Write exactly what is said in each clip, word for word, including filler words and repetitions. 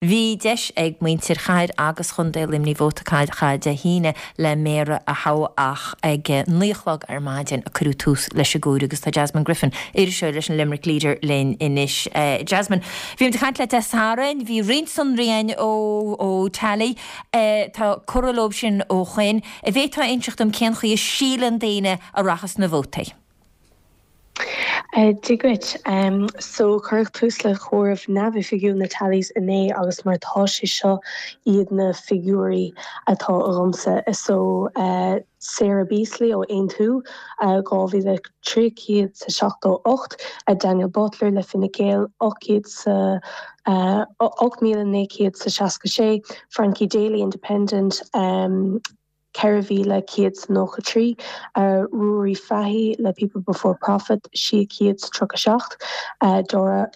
Bhí deis ag muintir chathair agus chontae Luimnigh vóta a chaitheamh Dé hAoine le méara a thoghadh ach ag naoi a chlog ar maidin a cuireadh tús leis an gcomhaireamh agus tá Jasmine Griffin, iriseoir leis an Limerick Leader linn anois. Jasmine, bhí muid ag caint leat Dé Sathairn, bhí roinnt sonraí againn ó ó Tally, tá curtha leo sin ó shin. An bhféadfá a inseacht dom cén chaoi a síleann daoine a rachas na vótaí? Dia dhuit. So cuireadh tús le comhaireamh neamhoifigiúil na tallies inné agus mar tá sé seo iad na figiúirí atá agamsa. So Sarah Beasley ó Aontú dhá mhíle trí chéad sa seachtó ocht, Daniel Butler le Fine Gael ocht chéad sa ocht míle naoi chéad sa seasca sé, Frankie Daly Independent ceithre mhíle céad sa nócha trí, Ruairí Fahy le People Before Profit sé chéad sa tríocha seacht, Dora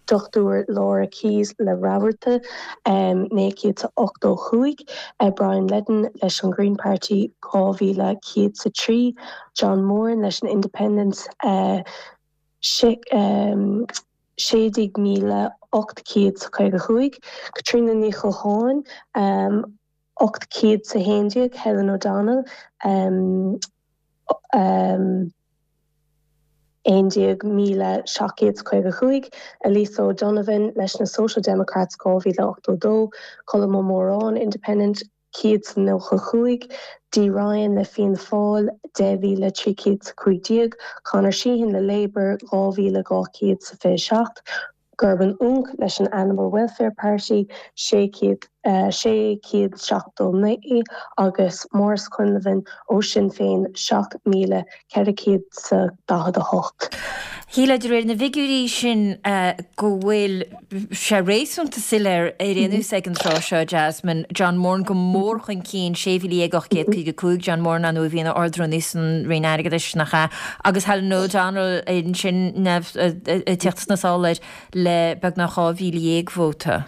Dochtúir Laura Keyes le Rabharta naoi chéad sa ochtó cúig, Brian Leddin leis an Green Party dhá mhíle céad sa trí, John Moran leis an Independents sé déag míle ocht chéad sa caoga cúig, Caitríona Ní Cholcháin ocht chéad sa haon déag, Helen O'Donnell aon déag míle seacht gcéad is caoga cúig, Elisa O'Donovan leis na Social Democrats dhá mhíle ochtó dó, Colm Ó Móráin Independent céad is nócha cúig, Dee Ryan le Fianna Fáil deich mhíle trí chéad is a cúig déag, Conor Sheehan le Labour dhá mhíle dhá chéad is a fiche seacht, Gerben Oonk leis an Animal Welfare Party sé chéad sé chéad seachtó naoi agus Maurice Quinlivan ó Sinn Féin seacht míle ceithre chéad is a daichead a hocht. Shílfeá de réir na bhfigiúirí sin go bhfuil sé réasúnta soiléir ar aon nós ag an tráth seo, Jasmine, John Moran go mór chun cinn, sé mhíle dhéag ocht gcéad caoga cúig, John Moran ar ndóigh a bhí ina Ard-Rúnaí san Roinn Airgeadais, nach ea? Agus Helen O'Donnell ansin ag teacht sna sála air le beagnach dhá mhíle dhéag vóta.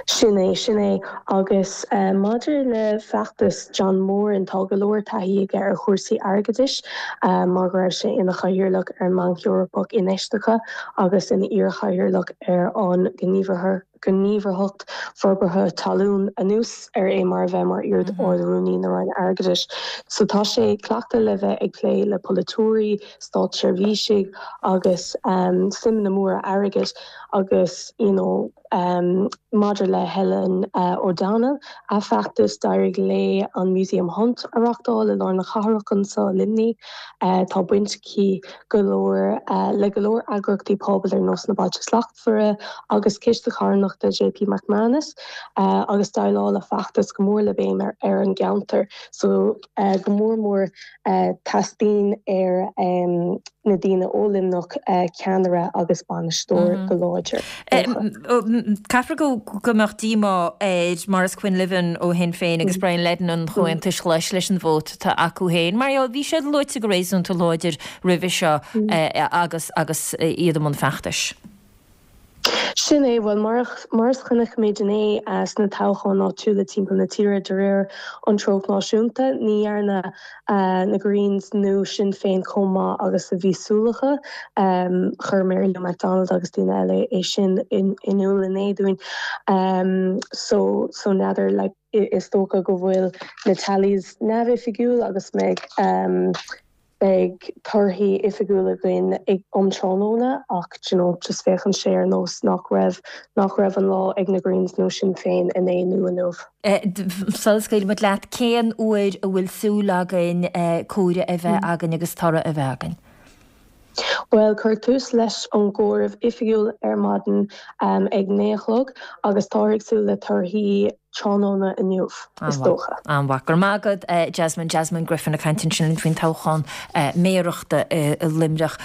Sin é, sin é. Agus maidir le feachtas John Moran, tá go leor taithí aige ar chúrsaí airgeadais mar go raibh sé ina chathaoirleach ar an mBanc Eorpach Infheistíochta agus ina iarchathaoirleach ar an Gníomhaireacht Forbartha Talún anuas ar é mar a bheith mar iar-Ard-Rúnaí na Roinne Airgeadais. So tá sé cleachta le bheith ag plé le polaiteoirí, státseirbhísigh agus suimeanna móra airgid agus you know, um, maidir le Helen uh, O'Donnell a feachtas d'éirigh léi an Museum Hunt a reáchtáil i lár na cathrach anseo Luimnigh uh, tá baint aici go leor uh, le go leor eagraíochtaí pobail ar nós na Bailte Slachtmhara agus Ciste Carthanachta JP McManus uh, agus déileáil a feachtas go mór le béim ar, ar an gceantar so uh, go mór mór uh, teastaíonn ar um, na daoine ó Luimneach uh, ceannaire agus bainisteoir mm -hmm. go láidir. Caithfidh go go mbeadh díomá ar Maurice Quinlivan ó Shinn Féin agus Brian Leddin an Chomhaontais Ghlais leis an vóta atá acu féin. Mar bhí siad luaite go réasúnta láidir roimhe seo agus agus iad i mbun feachtais. Sin é bhuel mar mar a chonaic muid inné sna toghcháin áitiúla timpeall na tíre de réir an treocht náisiúnta, ní dhearna na Greens nó Sinn Féin chomh maith agus a bhí súil acu chuir Mary Lou McDonald agus daoine eile é sin in iúl inné dúinn. Um, so so n'fheadar like, is dócha go bhfuil na tallies neamhoifigiúil agus mbeidh um, beidh torthaí oifigiúla againn ag um tráthnóna ach you know, just féachann sé ar nós nach raibh nach raibh an lá ag na Greens nó Sinn Féin inné nó inniu. Sula scaoilimid leat cén uair a bhfuil súil againn comhaireamh a bheith againn agus toradh a bheith againn. Well cuireadh tús leis an gcomhaireamh oifigiúil ar maidin um, ag naoi a chlog agus táthar ag súil le torthaí tráthnóna inniu is dócha. An-mhaith go raibh maith agat Jasmine Jasmine Griffin ag caint ansin faoin toghchán méarachta i Luimneach.